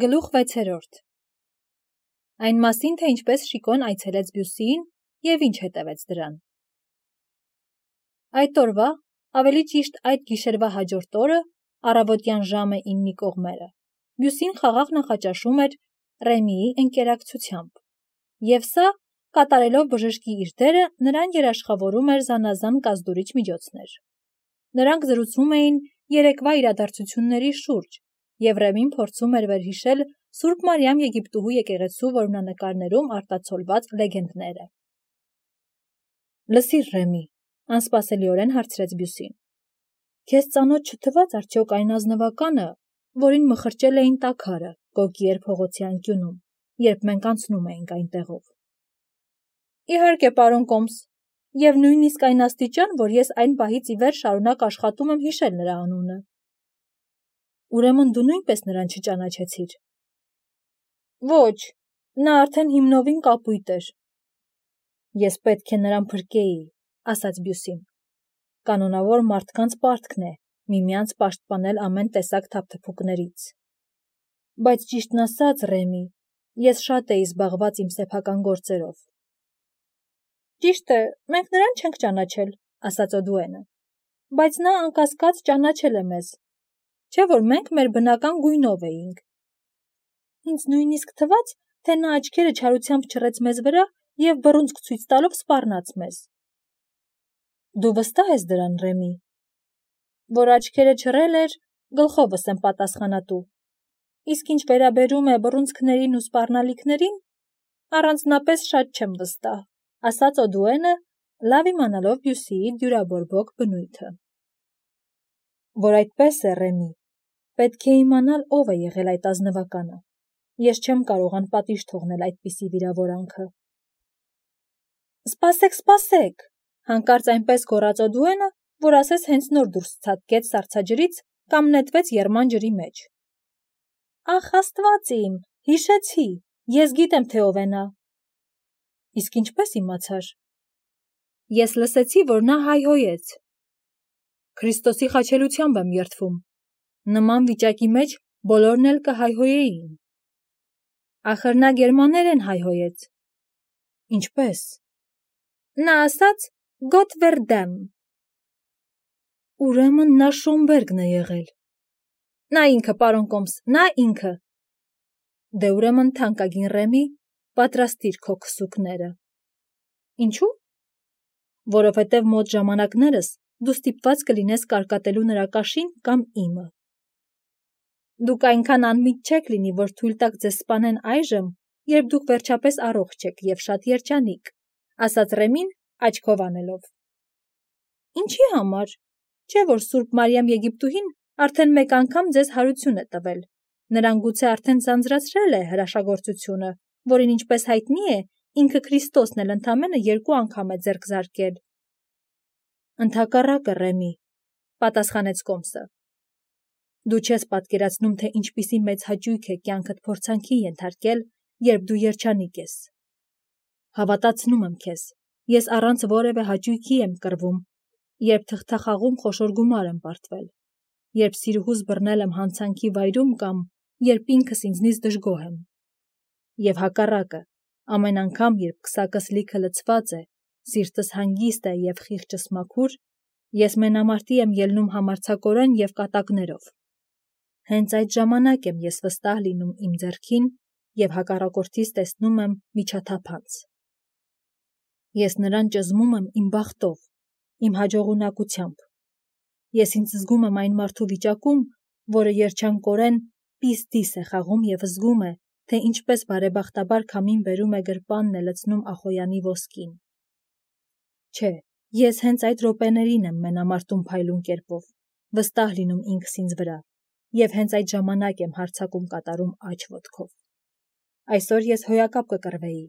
Գլուխ 6. Այն մասին, թե ինչպես Շիկոն այցելեց Բյուսիին և ինչ հետևեց դրան։ Այդ օրվա, ավելի ճիշտ այդ գիշերվա հաջորդ օրը, առավոտյան ժամը 9-ի կողմերը, Բյուսին խաղաղ նախաճաշում էր Ռեմիի ընկերակցությամբ, և սա, կատարելով բժշկի իր դերը, նրան երաշխավորում էր զանազան կազդուրիչ միջոցներ։ Նրանք զրուցում էին երեկվա իրադարձությունների շուրջ, և Ռեմին փորձում էր վերհիշել Սուրբ Մարիամ Եգիպտուհու եկեղեցու որմնանկարներում արտացոլված լեգենդները։ Լսիր, Ռեմի, անսպասելիորեն հարցրեց Բյուսին, քեզ ծանոթ չթվաց արդյոք այն ազնվականը, որին մխրճել էին տաքարը Գոգիեր փողոցի անկյունում, երբ մենք անցնում էինք այնտեղով։ Իհարկե, պարոն Կոմս, և նույնիսկ այն աստիճան, որ ես այն պահից ի վեր շարունակ աշխատում եմ հիշել նրա անունը։ Ուրեմն դու նույնպես նրան չճանաչեցիր։ Ոչ, նա արդեն հիմնովին կապույտ էր։ Ես պետք է նրան փրկեի, ասաց Բյուսին։ Կանոնավոր մարդկանց պարտքն է միմյանց պաշտպանել ամեն տեսակ թափթփուկներից։ Բայց ճիշտն ասած, Ռեմի, ես շատ էի զբաղված իմ սեփական գործերով։ Ճիշտ է, մենք նրան չենք ճանաչել, ասաց Օդուենը, բայց նա անկասկած ճանաչել է մեզ, չէ՞ որ մենք մեր բնական գույնով էինք։ Ինձ նույնիսկ թվաց, թե նա աչքերը չարությամբ չռեց մեզ վրա և բռունցք ցույց տալով սպառնաց մեզ։ Դու վստահ ես դրան, Ռեմի։ Որ աչքերը չռել էր, գլխովս եմ պատասխանատու։ Իսկ ինչ վերաբերում է բռունցքներին ու սպառնալիքներին, առանձնապես շատ չեմ վստահ, ասաց Օդուենը, լավ իմանալով Բյուսիի դյուրաբորբոք բնույթը։ Որ այդպես է, Ռեմի, պետք է իմանալ, ով է եղել այդ ազնվականը։ Ես չեմ կարող անպատիժ թողնել այդպիսի վիրավորանքը։ Սպասեք, հանկարծ այնպես գոռաց Օդուենը, որ ասես հենց նոր դուրս ցատկեց սառցաջրից կամ նետվեց եռման ջրի մեջ։ Ախ, Աստված իմ, հիշեցի, ես գիտեմ, թե ով է նա։ Իսկ ինչպես իմացար։ Ես լսեցի, որ նա հայհոյեց։ Քրիստոսի խաչելությամբ եմ երդվում։ Նման վիճակի մեջ բոլորն էլ կհայհոյեին։ Ախր նա գերմաներեն հայհոյեց։ Ինչպես։ Նա ասաց Գոտ վերդեմ։ Ուրեմն նա Շոմբերգն է եղել։ Նա ինքը, պարոն Կոմս, նա ինքը։ Դե ուրեմն թանկագին Ռեմի, պատրաստիր քո քսուկները։ Ինչու՞։ Որովհետև մոտ ժամանակներս դու ստիպված կլինես կարկատելու նրա կաշին կամ իմը։ Դուք այնքան անմիտ չեք լինի, որ թույլ տաք ձեզ սպանեն այժմ, երբ դուք վերջապես առողջ եք և շատ երջանիկ, ասաց Ռեմին աչքով անելով։ Ինչի համար, չէ՞ որ Սուրբ Մարիամ Եգիպտուհին արդեն մեկ անգամ ձեզ հարություն է տվել, նրան գուցե արդեն ձանձրացրել է հրաշագործությունը, որին ինչպես հայտնի է, ինքը Քրիստոսն էլ ընդամենը 2 անգամ է ձեռք զարկել։ Ընդհակառակը, Ռեմի, պատասխանեց Կոմսը։ Դու չես պատկերացնում, թե ինչպիսի մեծ հաճույք է կյանքդ փորձանքի ենթարկել, երբ դու երջանիկ ես։ Հավատացնում եմ քեզ, ես առանց որևէ հաճույքի եմ կռվում, երբ թղթախաղում խոշոր գումար եմ պարտվել, երբ սիրուհուս բռնել եմ հանցանքի վայրում կամ երբ ինքս ինձնից դժգոհ եմ։ Եվ հակառակը, ամեն անգամ, երբ քսակս լիքը լցված է, սիրտս հանգիստ է և խիղճս մաքուր, ես մենամարտի եմ ելնում համարձակորեն և կատակներով։ Հենց այդ ժամանակ եմ ես վստահ լինում իմ ձեռքին և հակառակորդիս տեսնում եմ միջաթափանց։ Ես նրան ճզմում եմ իմ բախտով, իմ հաջողունակությամբ։ Ես ինձ զգում եմ այն մարդու վիճակում, որը երջանկորեն պիս-դիս է խաղում և զգում է, թե ինչպես բարեբախտաբար քամին բերում է գրպանն է լցնում Ախոյանի ոսկին։ Չէ, ես հենց այդ րոպեներին եմ մենամարտում փայլուն կերպով, վստահ լինում ինքս ինձ վրա, և հենց այդ ժամանակ եմ հարձակում կատարում աջ ոտքով։ Այսօր ես հոյակապ կկռվեի,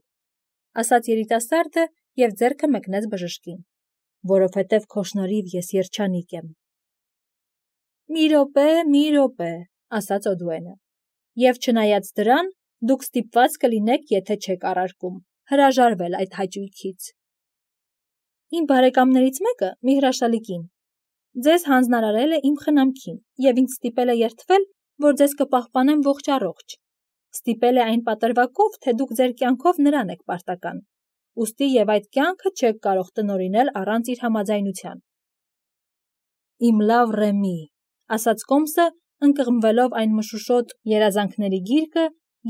ասաց երիտասարդը և ձեռքը մեկնեց բժշկին, որովհետև քո շնորհիվ ես երջանիկ եմ։ Մի րոպե, ասաց Օդուենը, և չնայած դրան, դուք ստիպված կլինեք, եթե չեք առարկում, հրաժարվել այդ հաճույքից։ Իմ բարեկամներից մեկը մի հրաշալի կին ձեզ հանձնարարել է իմ խնամքին և ինձ ստիպել է երդվել, որ ձեզ կպահպանեմ ողջ առողջ, Ստիպել է այն պատրվակով, թե դուք ձեր կյանքով նրան եք պարտական, ուստի և այդ կյանքը չեք կարող տնօրինել առանց իր համաձայնության։ Իմ լավ Ռեմի, ասաց Կոմսը, ընկղմվելով այն մշուշոտ երազանքների գիրկը,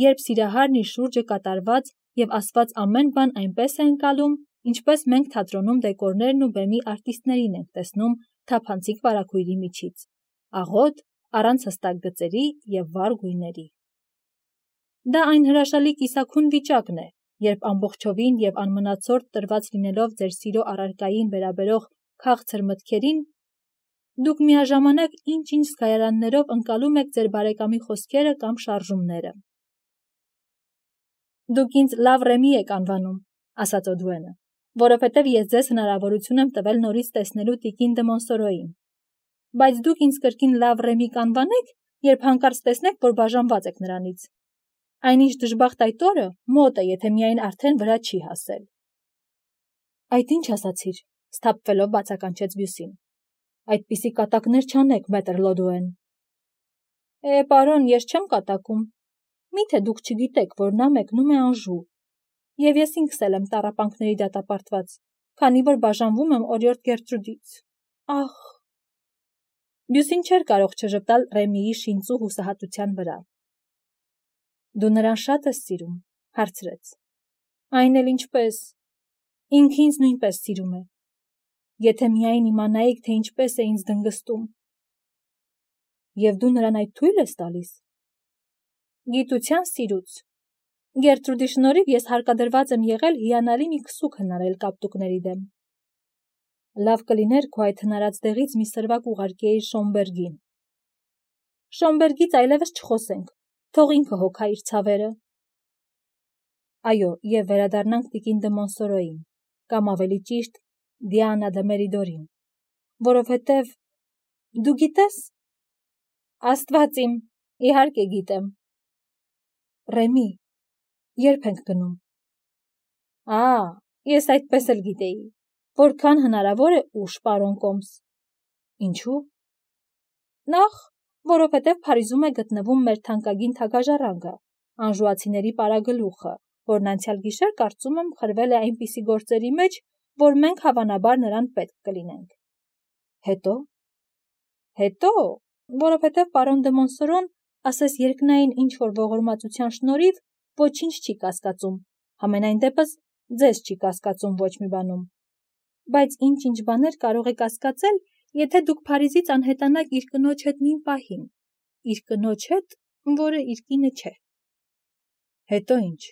երբ սիրահարն իր շուրջը կատարված և ասված ամեն բան այնպես է ընկալում, ինչպես մենք թատրոնում դեկորներն ու բեմի արտիստներին ենք տեսնում թափանցիկ վարագույրի միջից, աղոտ, առանց հստակ գծերի և վառ գույների։ Դա այն հրաշալի կիսաքուն վիճակն է, երբ ամբողջովին և անմնացորդ տրված լինելով ձեր սիրո առարկային վերաբերող քաղցր մտքերին, դուք միաժամանակ ինչ-ինչ զգայարաններով ընկալում եք ձեր բարեկամի խոսքերը կամ շարժումները։ Դուք ինձ լավ Ռեմի եք անվանում, ասաց Օդուենը, որովհետև ես ձեզ հնարավորություն եմ տվել նորից տեսնելու տիկին դը Մոնսորոյին։ Բայց դուք ինձ կրկին լավ Ռեմի կանվանեք, երբ հանկարծ տեսնեք, որ բաժանված եք նրանից։ Այնինչ դժբախտ այդ օրը մոտ է, եթե միայն արդեն վրա չի հասել։ Այդ ինչ ասացիր, սթափվելով բացականչեց Բյուսին։ Այդպիսի կատակներ չանեք, մետր Լոդուեն։ Պարոն, ես չեմ կատակում։ Միթե դուք չգիտեք, որ նա մեկնում է Անժու։ Եվ ես ինքս էլ եմ տառապանքների դատապարտված, քանի որ բաժանվում եմ օրիորդ Գերտրուդից։ Ախ։ Բյուսին չէր կարող չժպտալ Ռեմիի շինծու հուսահատության վրա։ Դու նրան շատ ես սիրում, հարցրեց։ Այն էլ ինչպես։ Ինքը ինձ նույնպես սիրում է։ Եթե միայն իմանայիք, թե ինչպես է ինձ դնգստում։ Եվ դու նրան այդ թույլ ես տալիս։ Գիտության սիրուց։ Գերտրուդի շնորհիվ ես հարկադրված եմ եղել հիանալի մի քսուկ հնարել կապտուկների դեմ։ Լավ կլիներ քո այդ հնարած դեղից մի սրվակ ուղարկեիր Շոմբերգին։ Շոմբերգից այլևս չխոսենք, թող ինքը հոգա իր ցավերը։ Այո, եւ վերադառնանք տիկին դը Մոնսորոյին, կամ ավելի ճիշտ Դիանա դը Մերիդորին, որովհետև դու գիտես։ Աստված իմ, իհարկե գիտեմ։ Ռեմի, երբ ենք գնում։ Ես այդպես էլ գիտեի, որքան հնարավոր է ուշ, պարոն Կոմս։ Ինչու։ Նախ, որովհետև Փարիզում է գտնվում մեր թանկագին թագաժառանգը, անժուացիների պարագլուխը, որն անցյալ գիշեր կարծում եմ խրվել է այնպիսի գործերի մեջ, որ մենք հավանաբար նրան պետք կլինենք։ Հետո, որովհետև պարոն դը Մոնսորոն, ասես երկնային ինչ-որ ողորմածության շնորհիվ, ոչինչ չի կասկածում, համենայն դեպս ձեզ չի կասկածում ոչ մի բանում։ Բայց ինչ-ինչ բաներ կարող է կասկածել, եթե դուք Փարիզից անհետանաք իր կնոջ հետ նույն պահին, իր կնոջ հետ, որը իր կինը չէ։ Հետո ինչ։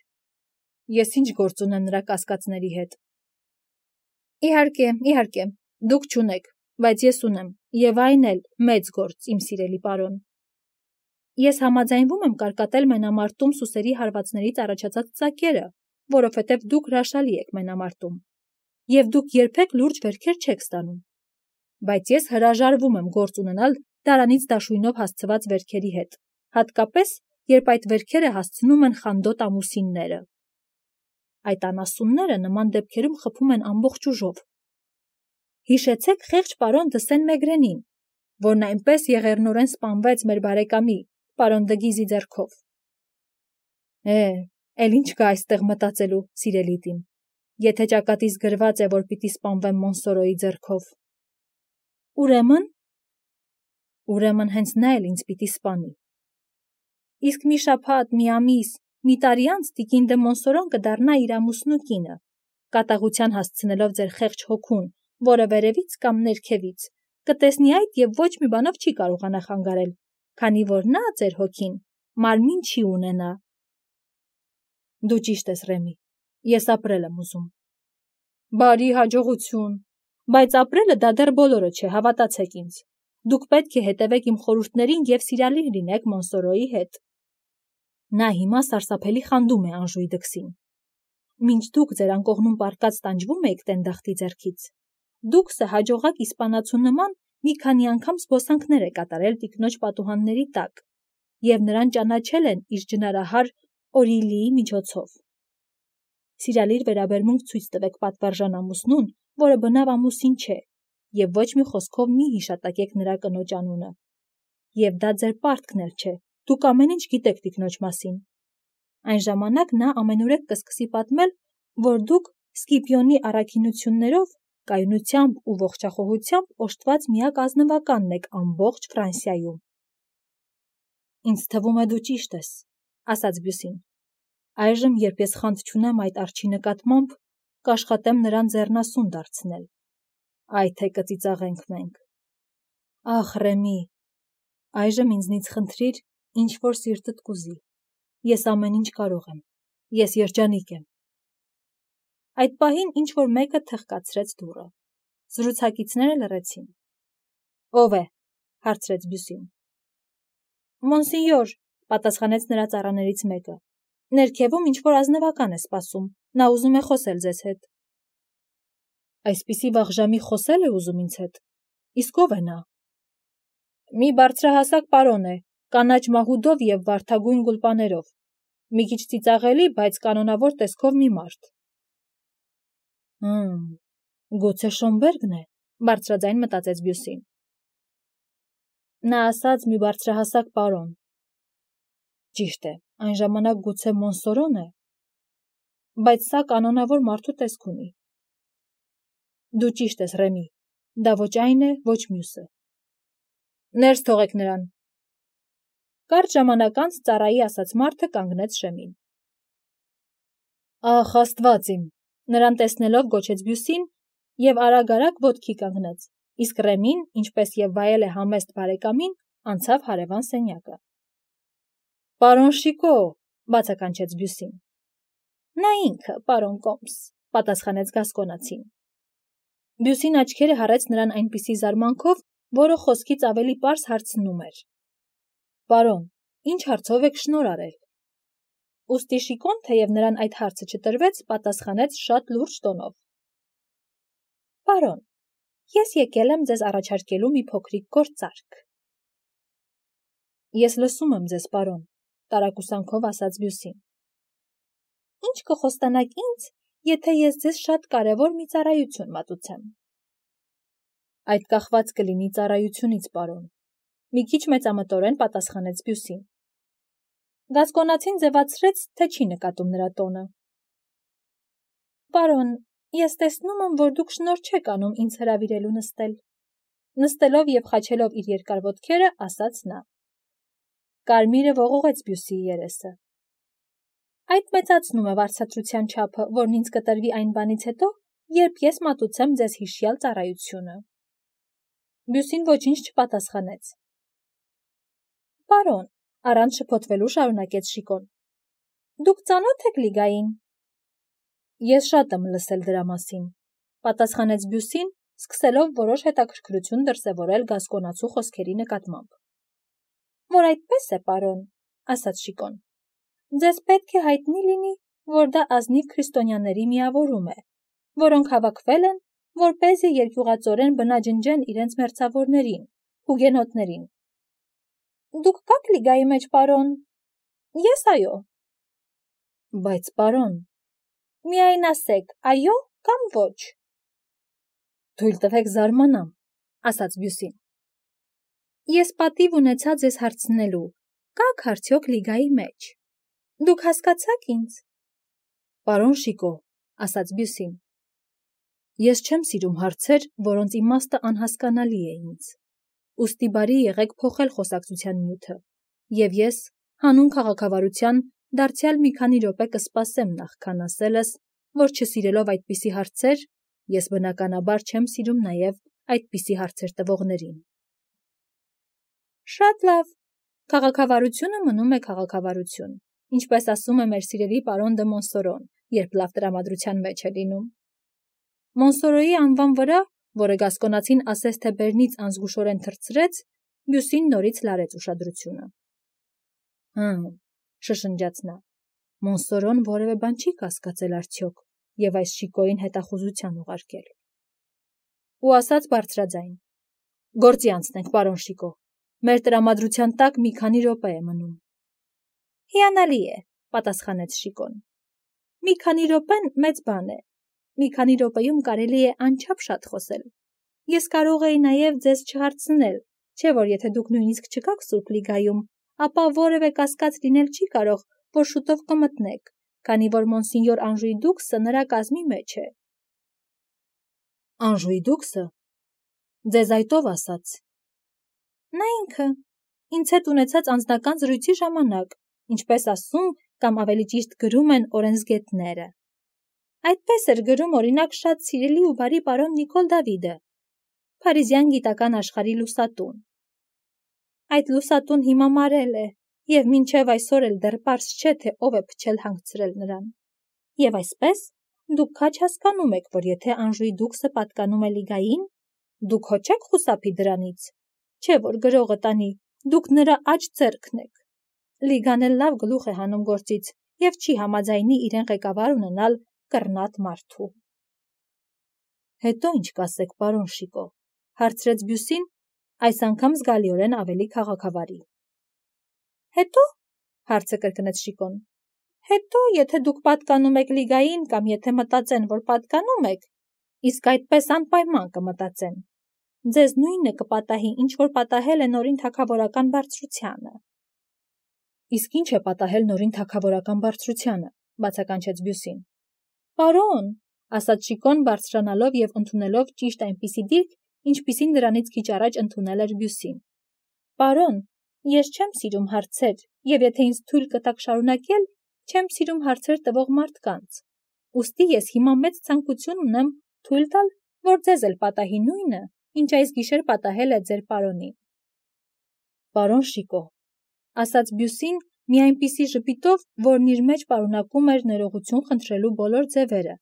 Ես ինչ գործ ունեմ նրա կասկածների հետ։ Իհարկե, դուք չունեք, բայց ես ունեմ, եւ այն էլ մեծ գործ, իմ սիրելի պարոն։ Ես համաձայնվում եմ կարկատել մենամարտում սուսերի հարվածներից առաջացած ծակերը, որովհետև դուք հրաշալի եք մենամարտում, եւ դուք երբեք լուրջ վերքեր չեք ստանում։ Բայց ես հրաժարվում եմ գործ ունենալ դարանից դաշույնով հասցված վերքերի հետ, հատկապես, երբ այդ վերքերը հասցնում են խանդոտ ամուսինները։ Այդ անասունները նման դեպքերում խփում են ամբողջ ուժով։ Հիշեցեք խեղճ պարոն դը Սեն-Մեգրենին, որն այնպես եղեռնորեն սպանվեց մեր բարեկամի, պարոն Դգիզի ձեռքով։ Էլ ինչ կա այստեղ մտածելու, սիրելիտին, եթե ճակատիս գրված է, որ պիտի սպանվեմ Մոնսորոյի ձեռքով։ Ուրեմն հենց նա էլ ինձ պիտի սպանի։ Իսկ մի շաբաթ, մի ամիս, մի տարի անց տիկին դը Մոնսորոն կդառնա իր ամուսնու կինը, կատաղության հասցնելով ձեր խեղճ հոգուն, որը վերևից կամ ներքևից, կտեսնի այդ և ոչ մի բանով չի կարողանա խանգարել, քանի որ նա, ձեր հոգին, մարմին չի ունենա։ Դու ճիշտ ես, Ռեմի, ես ապրել եմ ուզում։ Բարի հաջողություն, բայց ապրելը դա դեռ բոլորը չէ, հավատացեք ինձ։ Դուք պետք է հետևեք իմ խորհուրդներին և սիրալիր լինեք Մոնսորոյի հետ։ Նա հիմա սարսափելի խանդում է Անժուի դքսին։ Մինչ դուք ձեր անկողնում պառկած տանջվում էիք տենդախտի ձեռքից, դուքսը հաջողակ իսպանացու նման մի քանի անգամ զբոսանքներ է կատարել տիկնոջ պատուհանների տակ, և նրան ճանաչել են իր ջնարահար Օրիլիի միջոցով։ Սիրալիր վերաբերմունք ցույց տվեք պատվարժան ամուսնուն, որը բնավ ամուսին չէ, և ոչ մի խոսքով մի հիշատակեք նրա կնոջ անունը։ Եվ դա ձեր պարտքն էլ չէ, դուք ամեն ինչ գիտեք տիկնոջ մասին։ Այն ժամանակ նա ամենուրեք կսկսի պատմել, որ դուք Սկիպիոնի առաքինություններով, կայունությամբ ու ողջախոհությամբ օժտված միակ ազնվականն եք ամբողջ Ֆրանսիայում։ Ինձ թվում է դու ճիշտ ես, ասաց Բյուսին։ Այժմ, երբ ես խանդ չունեմ այդ արջի նկատմամբ, կաշխատեմ նրան ձեռնասուն դարձնել։ Այ թե կծիծաղենք մենք։ Ախ, Ռեմի, այժմ ինձնից խնդրիր, ինչ որ սիրտդ կուզի։ Ես ամեն ինչ կարող եմ։ Ես երջանիկ եմ։ Այդ պահին ինչ որ մեկը թխկացրեց դուռը։ Զրուցակիցները լռեցին։ Ո՞վ է, հարցրեց Բյուսին։ Մոնսինյոր, պատասխանեց նրա ծառաներից մեկը։ Ներքևում ինչ որ ազնվական է սպասում, նա ուզում է խոսել ձեզ հետ։ Այսպիսի վաղ ժամի խոսել է ուզում ինձ հետ։ Իսկ ով է նա։ Մի բարձրահասակ պարոն է, կանաչ մահուդով և վարդագույն գուլպաներով։ Մի քիչ ծիծաղելի, բայց կանոնավոր տեսքով մի մարդ։ Գուցե Շոմբերգն է, բարձրաձայն մտածեց Բյուսին։ Նա ասաց մի բարձրահասակ պարոն։ Ճիշտ է, այն ժամանակ գուցե Մոնսորոն է, բայց սա կանոնավոր մարդու տեսք ունի։ Դու ճիշտ ես, Ռեմի, դա ոչ այն է, ոչ մյուսը։ Ներս թողեք նրան։ Կարճ ժամանակ անց ծառայի ասաց մարդը կանգնեց շեմին։ Ախ, Աստված իմ, նրան տեսնելով գոչեց Բյուսին և արագ-արագ ոտքի կանգնեց, իսկ Ռեմին, ինչպես և վայել է համեստ բարեկամին, անցավ հարևան սենյակը։ Պարոն Շիկո, բացականչեց Բյուսին։ Նա ինքը, պարոն Կոմս, պատասխանեց գասկոնացին։ Բյուսին աչքերը հառեց նրան այնպիսի զարմանքով, որը խոսքից ավելի պարզ հարցնում էր. Պարոն, ինչ հարցով եք շնոր արել։ Ուստի Շիկոն, թեև նրան այդ հարցը չտրվեց, պատասխանեց շատ լուրջ տոնով. Պարոն, ես եկել եմ ձեզ առաջարկելու մի փոքրիկ գործարք։ Ես լսում եմ ձեզ, պարոն, տարակուսանքով ասաց Բյուսին։ Ինչ կխոստանաք ինձ, եթե ես ձեզ շատ կարևոր մի ծառայություն մատուցեմ։ Այդ կախված կլինի ծառայությունից, պարոն, մի քիչ մեծամտորեն պատասխանեց Բյուսին։ Գասկոնացին ձևացրեց, թե չի նկատում նրա տոնը։ Պարոն, ես տեսնում եմ, որ դուք շնոր չեք անում ինձ հրավիրելու նստել։ Նստելով և խաչելով իր երկար ոտքերը, ասաց նա։ Կարմիրը ողողեց Բյուսիի երեսը։ Այդ մեծացնում է վարձատրության չափը, որն ինձ կտրվի այն բանից հետո, երբ ես մատուցեմ ձեզ հիշյալ ծառայությունը։ Բյուսին ոչինչ չպատասխանեց։ Պարոն, առանց շփոթվելու շարունակեց Շիկոն։ Դուք ծանոթ եք Լիգային։ Ես շատ եմ լսել դրա մասին, պատասխանեց Բյուսին, սկսելով որոշ հետաքրքրություն դրսևորել գասկոնացու խոսքերի նկատմամբ։ Որ այդպես է, պարոն, ասաց Շիկոն։ Ձեզ պետք է հայտնի լինի, որ դա ազնիվ քրիստոնյաների միավորում է, որոնք հավաքվել են, որպեսզի երկյուղածորեն բնաջնջեն իրենց մերձավորներին, հուգենոտներին։ Դուք կաք Լիգայի մեջ, պարոն։ Ես այո։ Բայց, պարոն, միայն ասեք, այո կամ ոչ։ Թույլ տվեք զարմանամ, ասաց Բյուսին։ Ես պատիվ ունեցա ձեզ հարցնելու, կաք արդյոք Լիգայի մեջ։ Դուք հասկացաք ինձ։ Պարոն Շիկո, ասաց Բյուսին։ Ես չեմ սիրում հարցեր, որոնց իմաստը անհասկանալի է ինձ։ Ուստի բարի եղեք փոխել խոսակցության նյութը, և ես, հանուն քաղաքավարության, դարձյալ մի քանի րոպե կսպասեմ նախքան ասելս, որ չսիրելով այդպիսի հարցեր, ես բնականաբար չեմ սիրում նաև այդպիսի հարցեր տվողներին։ Շատ լավ, քաղաքավարությունը մնում է քաղաքավարություն, ինչպես ասում է մեր սիրելի պարոն դը Մոնսորոն, երբ լավ տրամադրության մեջ է լինում։ Մոնսորոյի անվան վրա, որը գասկոնացին ասես թե բերնից անզգուշորեն թռցրեց, Բյուսին նորից լարեց ուշադրությունը։ Շշնջաց նա, Մոնսորոն որևէ բան չի կասկածել արդյոք և այս Շիկոյին հետախուզության ուղարկել։ Ու ասաց բարձրաձայն. Գործի անցնենք, պարոն Շիկո, մեր տրամադրության տակ մի քանի րոպե է մնում։ Հիանալի է, պատասխանեց Շիկոն։ Մի քանի րոպեն մեծ բան է։ Մի քանի րոպեում կարելի է անչափ շատ խոսել։ Ես կարող էի նաև ձեզ չհարցնել, չէ՞ որ եթե դուք նույնիսկ չկաք Սուրբ Լիգայում, ապա որևէ կասկած լինել չի կարող, որ շուտով կմտնեք, քանի որ մոնսինյոր Անժուի դուքսը նրա կազմի մեջ է։ Անժուի դուքսը։ Ձեզ այդ ով ասաց։ Նա ինքը, ինձ հետ ունեցած անձնական զրույցի ժամանակ, ինչպես ասում կամ ավելի ճիշտ գրում են օրենսգետները։ Այդպես էր գրում օրինակ շատ սիրելի ու բարի պարոն Նիկոլ Դավիդը, Փարիզյան գիտական աշխարհի լուսատուն։ Այդ լուսատուն հիմա մարել է, և մինչև այսօր էլ դեռ պարզ չէ, թե ով է փչել հանգցրել նրան։ Եվ այսպես, դուք քաջ հասկանում եք, որ եթե Անժուի դուքսը պատկանում է Լիգային, դուք հո չեք խուսափի դրանից, չէ որ գրողը տանի, դուք նրա աջ ձեռքն եք։ Լիգան էլ լավ գլուխ է հանում գործից և չի համաձայնի իրեն ղեկավար ունենալ կռնատ մարդու։ Հետո ինչ կասեք, պարոն Շիկո, հարցրեց Բյուսին, այս անգամ զգալիորեն ավելի քաղաքավարի։ Հետո, հարցը կրկնեց Շիկոն, հետո, եթե դուք պատկանում եք Լիգային կամ եթե մտածեն, որ պատկանում եք, իսկ այդպես անպայման կմտածեն, ձեզ նույնը կպատահի, ինչ որ պատահել է նորին թագավորական բարձրությանը։ Իսկ ինչ է պատահել նորին թագավորական բարձրությանը, բացականչեց Բյուսին։ Պարոն, ասաց Շիկոն բարձրանալով և ընդունելով ճիշտ այնպիսի դիրք, ինչպիսին նրանից քիչ առաջ ընդունել էր Բյուսին։ Պարոն, ես չեմ սիրում հարցեր, և եթե ինձ թույլ կտաք շարունակել, չեմ սիրում հարցեր տվող մարդկանց։ Ուստի ես հիմա մեծ ցանկություն ունեմ թույլ տալ, որ ձեզ էլ պատահի նույնը, ինչ այս գիշեր պատահել է ձեր պարոնին։ Պարոն Շիկո, ասաց Բյուսին մի այնպիսի ժպիտով, որն իր մեջ պարունակում էր ներողություն խնդրելու բոլոր ձևերը,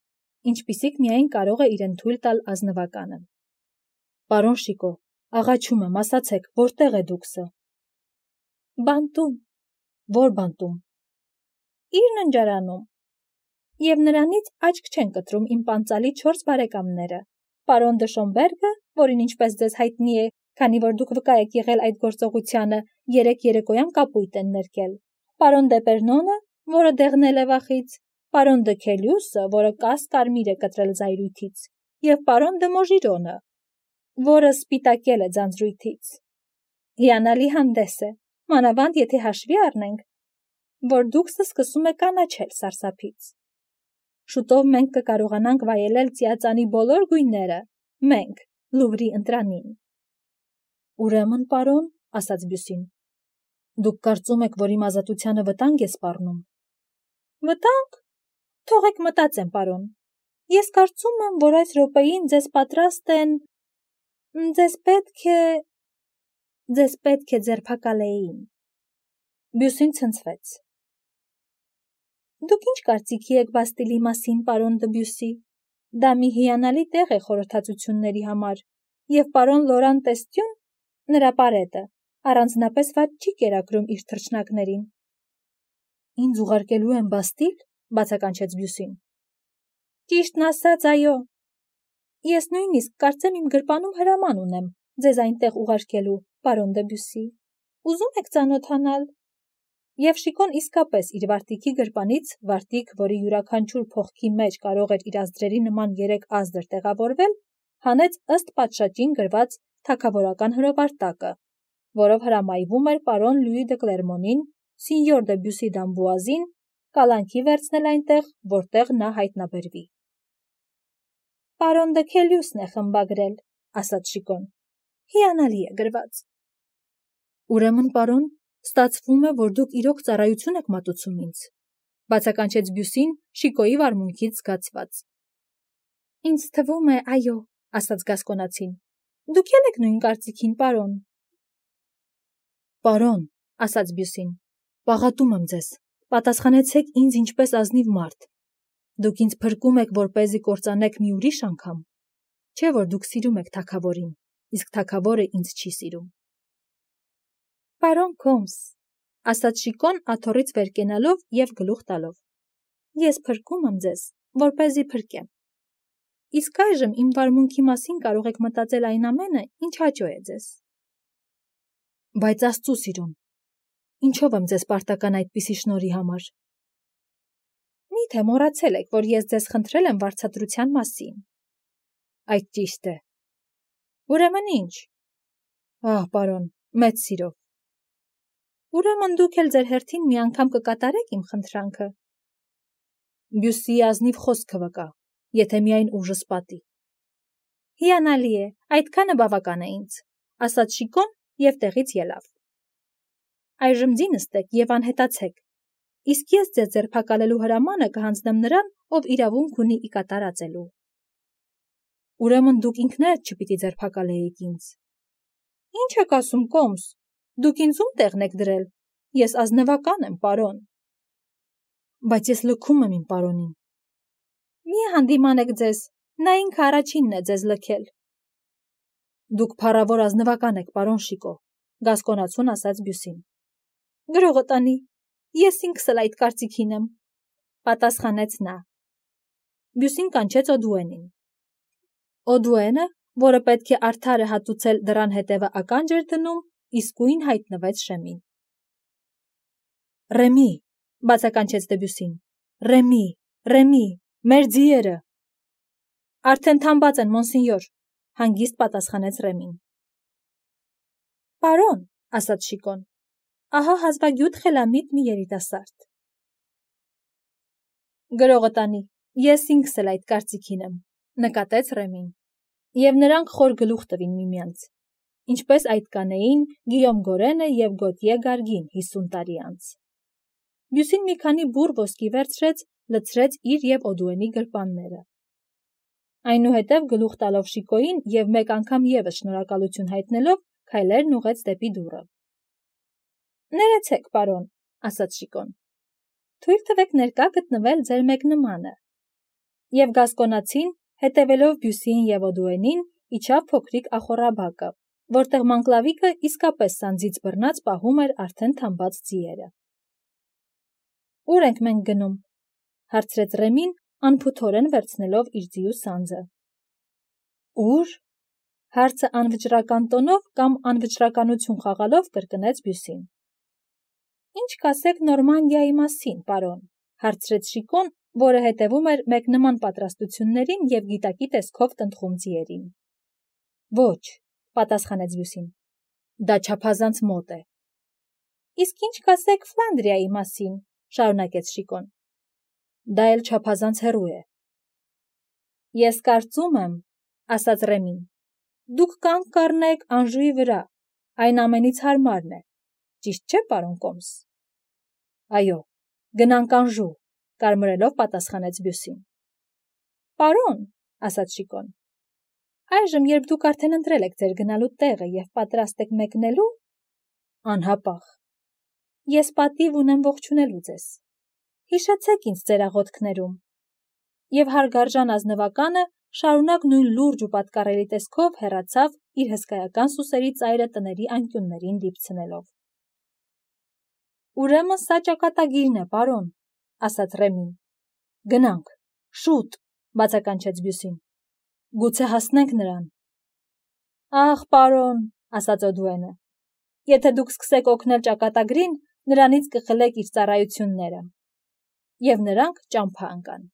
ինչպիսիք միայն կարող է իրեն թույլ տալ ազնվականը։ Պարոն Շիկո, աղաչում եմ, ասացեք, որտեղ է դուքսը։ Բանտում։ Որ բանտում։ Իր ննջարանում։ Եվ նրանից աչք չեն կտրում իմ պանծալի 4 բարեկամները, պարոն դը Շոմբերգը, որին ինչպես ձեզ հայտնի է, քանի որ դուք վկա եք եղել այդ գործողությանը, 3 երեկոյան կապույտ են ներկել, պարոն դե Պերնոնը, որը դեղնել է վախից, պարոն դը Քելյուսը, որը կաս կարմիր է կտրել զայրույթից, և պարոն դը Մոժիրոնը, որը սպիտակել է ձանձրույթից։ Հիանալի հանդես է, մանավանդ եթե հաշվի առնենք, որ դուքսը սկսում է կանաչել սարսափից։ Շուտով մենք կկարողանանք վայելել ծիածանի բոլոր գույները, մենք, Լուվրի ընտրանին։ Ուրեմն, պարոն, ասաց Բյուսին, դուք կարծում եք, որ իմ ազատությանը վտանգ է սպառնում։ Վտանգ։ Թողեք մտածեմ, պարոն։ Ես կարծում եմ, որ այս րոպեին ձեզ պատրաստ են… Ձեզ պետք է ձերբակալեին։ Բյուսին ցնցվեց։ Դուք ինչ կարծիքի եք Բաստիլի մասին, պարոն դը Բյուսի։ Դա մի հիանալի տեղ է խորհրդածությունների համար, և պարոն Լորան Տեստյուն, նրա պարետը, առանձնապես վատ չի կերակրում իր թռչնակներին։ Ինձ ուղարկելու են Բաստիլ, բացականչեց Բյուսին։ Ճիշտն ասած, այո։ Ես նույնիսկ կարծեմ իմ գրպանում հրաման ունեմ ձեզ այնտեղ ուղարկելու, պարոն դը Բյուսի։ Ուզում եք ծանոթանալ։ Եվ Շիկոն իսկապես իր վարտիքի գրպանից, վարտիք, որի յուրաքանչյուր փողքի մեջ կարող էր իր ազդրերի նման 3 ազդր տեղավորվել, հանեց ըստ պատշաճին գրված թագավորական հրովարտակը, որով հրամայվում էր պարոն Լյուի դը Կլերմոնին, սինյոր դը Բյուսի Դամբուազին կալանքի վերցնել այնտեղ, որտեղ նա հայտնաբերվի։ Պարոն դը Քելյուսն է խմբագրել, ասաց Շիկոն։ Հիանալի է գրված։ Ուրեմն, պարոն, ստացվում է, որ դուք իրոք ծառայություն եք մատուցում ինձ, բացականչեց Բյուսին Շիկոյի վարմունքից զգացված։ Ինձ թվում է, այո, ասաց Գասկոնացին։ Դուք եք նույն կարծիքին, պարոն։ Պարոն, ասաց Բյուսին, պաղատում եմ ձեզ, պատասխանեցեք ինձ ինչպես ազնիվ մարդ։ Դուք ինձ փրկում եք, որպեսզի կործանեք մի ուրիշ անգամ, չէ՞ որ դուք սիրում եք թագավորին, իսկ թագավորը ինձ չի սիրում։ Պարոն Քոմս, ասաց Շիկոն աթոռից վեր կենալով և գլուխ տալով, ես փրկում եմ ձեզ, որպեսզի փրկեմ։ Իսկ այժմ իմ վարմունքի մասին կարող եք մտածել այն ամենը, ինչ հաճո է ձեզ։ Բայց Աստծու սիրուն, ինչով եմ ձեզ պարտական այդպիսի շնորհի համար։ Միթե մոռացել եք, որ ես ձեզ խնդրել եմ վարձատրության մասին։ Այդ ճիշտ է։ Ուրեմն ինչ։ Ահ, պարոն, մեծ սիրով։ Ուրեմն դուք էլ ձեր հերթին մի անգամ կկատարեք իմ խնդրանքը։ Բյուսիի ազնիվ խոսքը վկա, եթե միայն ուժս պատի։ Հիանալի է, այդքանը բավական է ինձ, ասաց Շիկոն և տեղից ելավ։ Այժմ ձի նստեք և անհետացեք, իսկ ես ձեզ ձերբակալելու հրամանը կհանձնեմ նրան, ով իրավունք ունի ի կատարածելու։ Ուրեմն դուք ինքներդ չպիտի ձերբակալեիք ինձ։ Ինչ եք ասում, կոմս, դուք ինձ ում տեղն եք դրել, ես ազնվական եմ, պարոն։ Բայց ես լքում եմ իմ պարոնին։ Մի հանդիմանեք ձեզ, նա ինքը առաջինն է ձեզ լքել։ Դուք փառավոր ազնվական եք, պարոն Շիկո, գասկոնացուն ասաց Բյուսին։ Գրողը տանի, ես ինքս էլ այդ կարծիքին եմ, պատասխանեց նա։ Բյուսին կանչեց Օդուենին։ Օդուենը, որը պետք է արդար է հատուցել դռան հետևը ականջ էր դնում, իսկույն հայտնվեց շեմին։ Ռեմի, բացականչեց Դեբյուսին, Ռեմի, Ռեմի, մեր ձիերը։ Արդեն թամբած են, մոնսինյոր, հանգիստ պատասխանեց Ռեմին։ Պարոն, ասաց Շիկոն, ահա հազվագյուտ խելամիտ մի երիտասարդ։ Գրողը տանի, ես ինքս էլ այդ կարծիքին եմ, նկատեց Ռեմին, և նրանք խոր գլուխ տվին միմյանց, ինչպես այդ կանեին Գիյոմ Գորենը և Գոտիե Գարգին 50 տարի անց։ Բյուսին մի քանի բուռ ոսկի վերցրեց, լցրեց իր և Օդուենի գրպանները։ Այնուհետև գլուխ տալով Շիկոյին և մեկ անգամ ևս շնորհակալություն հայտնելով, քայլերն ուղղեց դեպի դուռը։ Ներեցեք, պարոն, ասաց Շիկոն։ Թույլ տվեք ներկա գտնվել ձեր մեկնմանը։ Եվ գասկոնացին, հետևելով Բյուսիին և Օդուենին, իջավ փոքրիկ ախոռաբակը, որտեղ Մանկլավիկը իսկապես սանձից բռնած պահում էր արդեն թամբած ձիերը։ Ուր ենք մենք գնում, հարցրեց Ռեմին, անփութորեն վերցնելով իր ձիու սանձը։ Ուր։ Հարցը անվճռական տոնով կամ անվճռականություն խաղալով կրկնեց Բյուսին։ Ինչ կասեք Նորմանդիայի մասին, պարոն, հարցրեց Շիկոն, որը հետևում էր մեկնման պատրաստություններին և գիտակի տեսքով տնտղում ձիերին։ Ոչ, պատասխանեց Բյուսին, դա չափազանց մոտ է։ Իսկ ինչ կասեք Ֆլանդրիայի մասին, շարունակեց Շիկոն։ Դա էլ չափազանց հեռու է։ Ես կարծում եմ, ասաց Ռեմին, դուք կանգ կառնեք Անժուի վրա, այն ամենից հարմարն է, ճիշտ չէ, պարոն կոմս։ Այո, գնանք Անժու, կարմրելով պատասխանեց Բյուսին։ Պարոն, ասաց Շիկոն, այժմ, երբ դուք արդեն ընտրել եք ձեր գնալու տեղը և պատրաստ եք մեկնելու, անհապաղ, ես պատիվ ունեմ ողջունելու ձեզ։ Հիշեցեք ինձ ձեր աղոթքներում։ Եվ հարգարժան ազնվականը շարունակ նույն լուրջ ու պատկառելի տեսքով հեռացավ իր հսկայական սուսերի ծայրը տների անկյուններին դիպցնելով։ Ուրեմն սա ճակատագիրն է, պարոն, ասաց Ռեմին։ Գնանք, շուտ, բացականչեց Բյուսին։ Գուցե հասնենք նրան։ Ահ, պարոն, ասաց Օդուենը, եթե դուք սկսեք օգնել ճակատագրին, նրանից կխլեք իր ծառայությունները։ Եվ նրանք ճամփա ընկան։